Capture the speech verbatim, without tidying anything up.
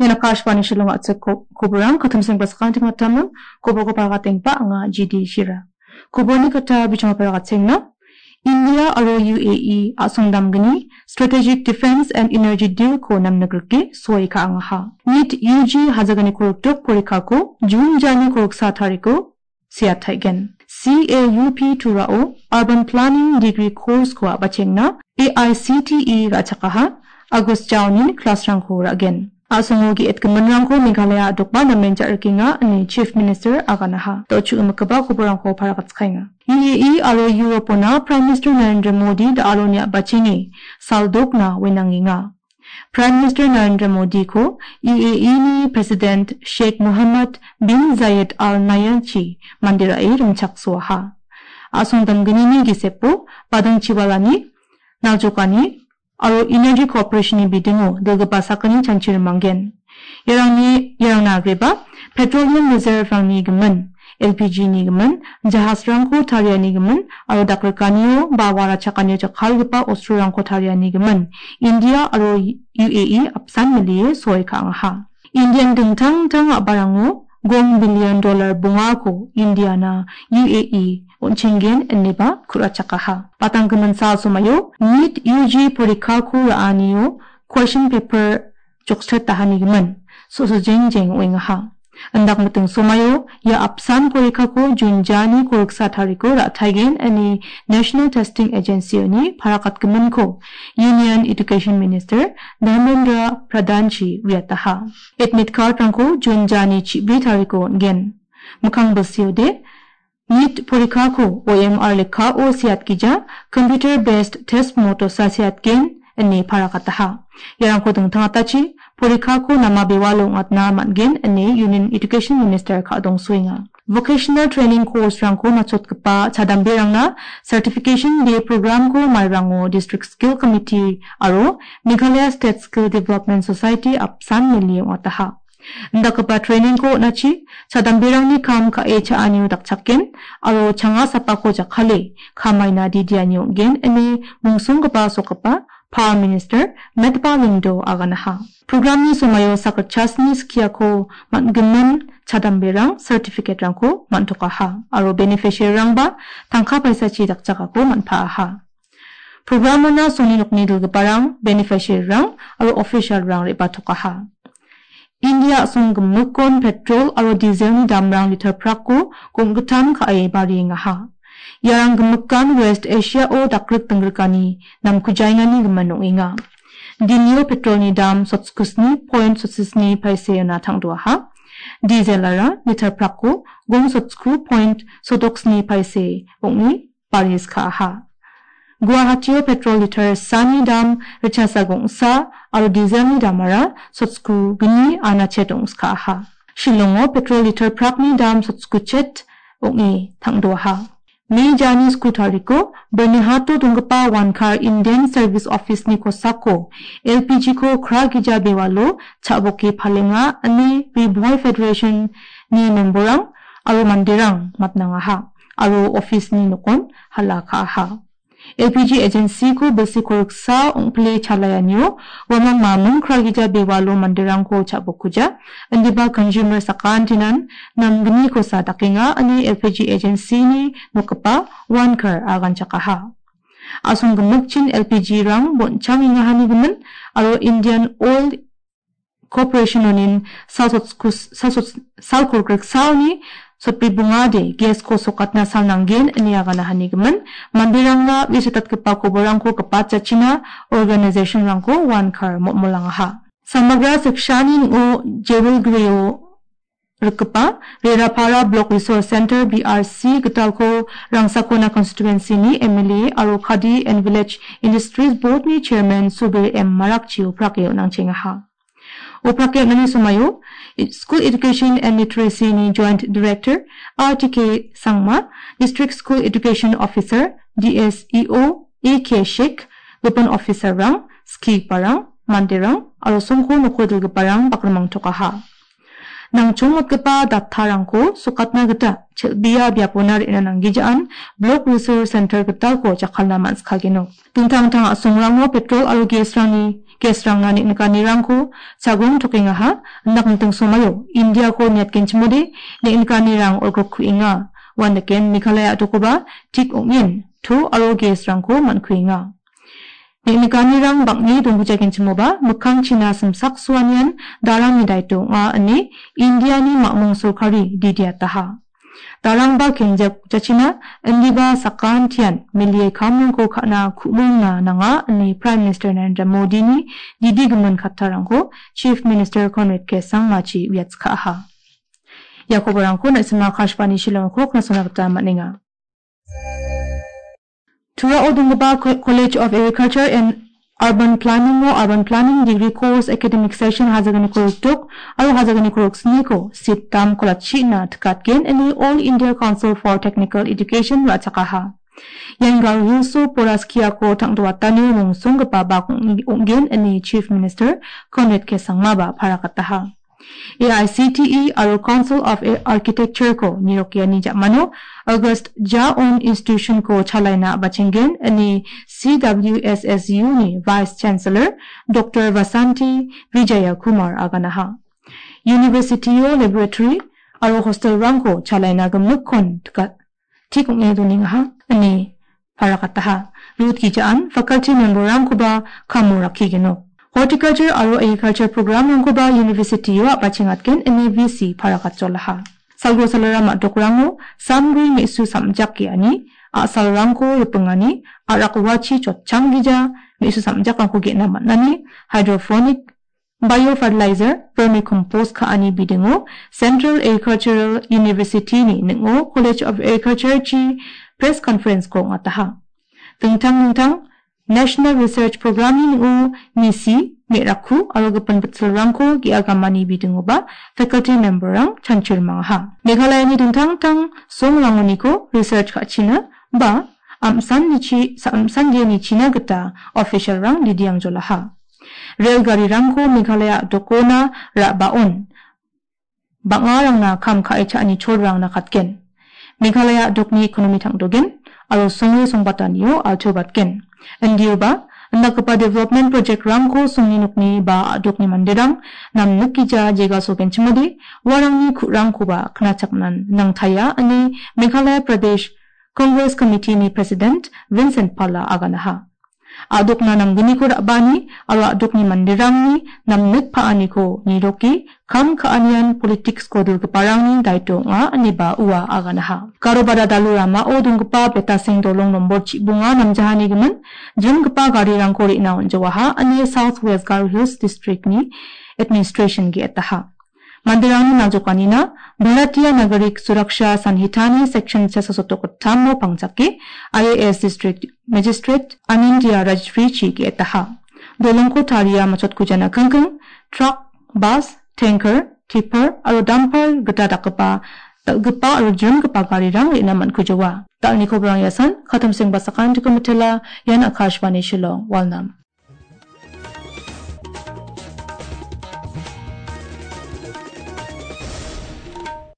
Ian Akashvani Shillong a·chik ko-, koborang katimseng basakanting atamim, koborko pagatengba anga G D Shira. Koborni kata bijong paragatenga. India aro U A E a·song damgni Strategic Defense and Energy Deal ko namnigrike soi ka·angaha. nit U G hajagani korokdok porikako June jani koroksa tariko siataigen. C A U P Turao Urban Planning Degree Course ko a·bachengna A I C T E ra·chakaha, August jaonin class-rangko ra·gen. A·songo ge·etgiminrangko Meghalaya a·dokba namen ja·rikenga ine Chief Minister aganaha. Da·o chu·imikiba koborrangko paragatskaenga. U A E aro Europona Prime Minister Narendra Modi da·aloni a·bacheni saldokna wenangenga. Prime Minister Narendra Modiko U A E ni President Sheikh Mohammed bin Zayed Al Nahyan-chi manderae rimchaksoaha. A·song damgnini gisepo badangchiwalani, naljokani aro energy cooperation-ni bidingo dilgipa sakgni chanchi rimanggen. Iarangni, iarangna agreba petroleum reserve-rangni gimin, L P G-ni gimin, jahasrangko tariani gimin aro dakrikanio ba wara chakanio jakkalgipa ostrorangko tariani gimin India aro U A E apsan milie soi ka·angaha. Indian dingtang dingtang a·barango gong billion dollar bongako Indiana U A E on·chenggen ineba ku·rachakaha. Batanggimin sal somaio nit U G porikako ra·anio question paper jokstatahanigiming so·so jengjeng ong·engaha. Indakmiting somaio ia apsan porikako June jani koriksa tariko ra·taigen ine National Testing Agency-oni parakatgiminko Union Education Minister Dharmendra Pradhan-chi uiataha. Admit card-rangko June jani chibri tariko on·gen. Mikkang bilsiode nit porikako O M R lekkao seatgija, computer based test motosa seatgen ine parakataha. Iarangko dingtangatachi porikako nama bewalo ong·atna man·gen ine Union Education Minister ka·dongsoenga. Vocational training course-rangko nachotgipa chadamberangna certification day program-ko mairango District Skill Committee aro Meghalaya State Skill Development Society apsan milie ong·ataha. Indakgipa training-ko on·achi chadamberangni kam ka·e cha·anio dakchakken aro changa sapako jakkale kamaina didiani ong·gen ine mungsonggipa sokgipa Power Minister Metba Lyngdoh aganaha. Program-ni somaio sakgitchasni skiako man·gimin chadamberang certificate-rangko man·tokaha aro beneficiary-rangba tangka paisachi dakchakako man·paaha. Program-ona songni nokni dilgiparang, beneficiary-rang aro official-rang re·batokaha. India a·song gimikon petrol aro diesel-ni damrang liter prakko gonggitam ka·e bariengaha. Iarang gimikan West Asia-o dakrik dinggrikani namkujaingani gimin ong·enga. Dinio petrol-ni dam sotskusni point sotsisni paiseona tangdoaha. Diesel-ara liter prakko gong sotsku point sodoksni paise ong·e baris ka·aha. Guwahatio petrol liter sani dam richasa gongsa aro diesel-ni damara sotsku gni anachet ong·skaha. Shillongo petrol liter prakni dam sotsku chet ong·e tangdoaha. Me jani sku tariko Bernihato donggipa Wankar Indian Service Office-ni kosako L P G-ko Kragija Bewalo cha·boke palenga ine Ri Bhoi Federation-ni memberrang aro manderang matnangaha aro office-ni nokon hala ka·aha. L P G agency-ko bilsi koriksa ong·pile chalaianio uamang mamung Kragija Bewalo manderangko cha·bokuja, indiba consumer sakantinan namgnikosa dakenga ine L P G agency-ni nokgipa Wankar aganchakaha. A·song gimikchin L P G-rang bon·changengahani gimin aro Indian Oil Corporation-onin sal sotkus-, sal sots-, sal korgriksaoni sotbri bongade gas-ko sokatna sal nanggen ine aganahani gimin, manderangna uisatatgipa koborangko gipatjachina organization-rangko Wankar mo·molangaha. Samagra sekshani ning·o Jewel Greo rikgipa Rerapara Block Resource Center, B R C, gitalko Rangsakona constituency-ni M L A aro Khadi and Village Industries Board-ni chairman Subir M Marakchio prake on·angchengaha. Uprake on·ani somaio School Education and Literacy-ni Joint Director R T K Sangma, District School Education Officer, D S E O, A K Sheikh, gipin officer-rang, skiparang, manderang aro songko noko dilgiparang bakrimangtokaha. Nangchongmotgipa datarangko sokatna gita chel·bea biapona re·na nanggijaan Block Resource Center gitalko jakkalna man·sikageno. Dingtang dingtang a·songrango petrol aro gas-rangni Guestrangna neng·nikanirangko chagong tokengaha, indakingting somaio Indiako niatgenchimode neng·nikanirang olgrikkuenga. Uandaken Meghalaya a·dokoba tik ong·en to aro guestrangko man·kuenga. Neng·nikanirang bang·e donggujagenchimoba mikkangchina simsaksoanian darangni daito ong·a ine Indiani mamung sorkari didiataha. Darangba kengjak jachina indiba sakantian milie kamrangko ka·na ku·mongna nanga ine Prime Minister Narendra Modini didi gimin kattarangko Chief Minister Conrad K Sangmachi uiatskaaha. Ia koborangko na·sima Akashvani Shillongko knasona gita man·enga. Turao donggipa Co-, College of Agriculture and Urban Planning-o Urban Planning Degree Course Academic Session hajagni korokdok aro hajagni koroksniko seat dam kolachina tikatgen ine All India Council for Technical Education ra·chakaha. Ian Garo Hills-o Poraskiako tangdoatani rongsonggipa bak ong-, ong·gen ine Chief Minister Conrad K Sangmaba parakataha. A I C T E aro Council of Architecture-ko nirokiani ja·mano August Jaon Institution-ko chalaina bachenggen ine C W S S U-ni Vice Chancellor Doctor Vasanti Vijaya Kumar aganaha. University-o laboratory aro hostel-rangko chalaina gimikkon tika-, tik ong·e donengaha ine parakataha. Rut gijaan faculty member-rangkoba kamo rakkigeno. Horticulture aro agriculture program-rangkoba university-o a·bachengatgen ine V C parakatjolaha. Salgro salara ma·dokrango samgri me·su samjak ge·ani, a·salrangko ripingani, a·rak uachi jotchang gija me·su samjakrangko ge·na man·ani, hydroponic, biofertilizer, vermicompost ka·ani bidingo Central Agricultural University-ni ning·o College of Agriculture-chi press conference-ko ong·ataha. Dingtang dingtang National Research Program-ni ning·o misi, me·rakku aro gipin bitsilrangko ge·agamani bidingoba faculty member-rang chanchir mangaha. Meghalayani dingtang dingtang songrangoniko research ka·china ba am·sannichi-, sa-, am·sandianichina gita official-rang didiangjolaha. Rel garirangko Meghalaya a·dokona ra·baon bang·arangna kam ka·e cha·ani cholrang nakatgen. Meghalaya a·dokni ekonomi tangdogen aro songe songbatanio alchobatgen. Indioba indakgipa development project-rangko songni nokni ba a·dokni manderang namnikgija jegasogenchimode uarangni ku·rangkoba knachaknan nangtaia ine Meghalaya Pradesh Congress Committee-ni President Vincent Pala aganaha. A·dokna namgniko ra·baani aro a·dokni manderangni namnik pa·aniko niroke kam ka·anian politics-ko dilgiparangni daito ong·a ineba ua aganaha. Garobara dalu ramao donggipa Betaseng dolong nombor chibonga namjahani gimin jrimgipa garirangko re·na on·jawaha ine South West Garo Hills District-ni administration ge·etaha. Manderangni nangjokanina Bharatiya Nagarik Suraksha Sanhitani section chasasotok gittamo pangjake I A S District Magistrate Anindya Rajrichi ge·etaha. Dolongko taria machotgujana kingking, truck, bus, tanker, tipper aro dumper gita dakgipa, dal·gipa aro jrimgipa garirang re·na man·kujoa. Dal·ni kobrang iasan, Katamseng Basakan Dikomitela, ian Akashvani Shillong, Walnam.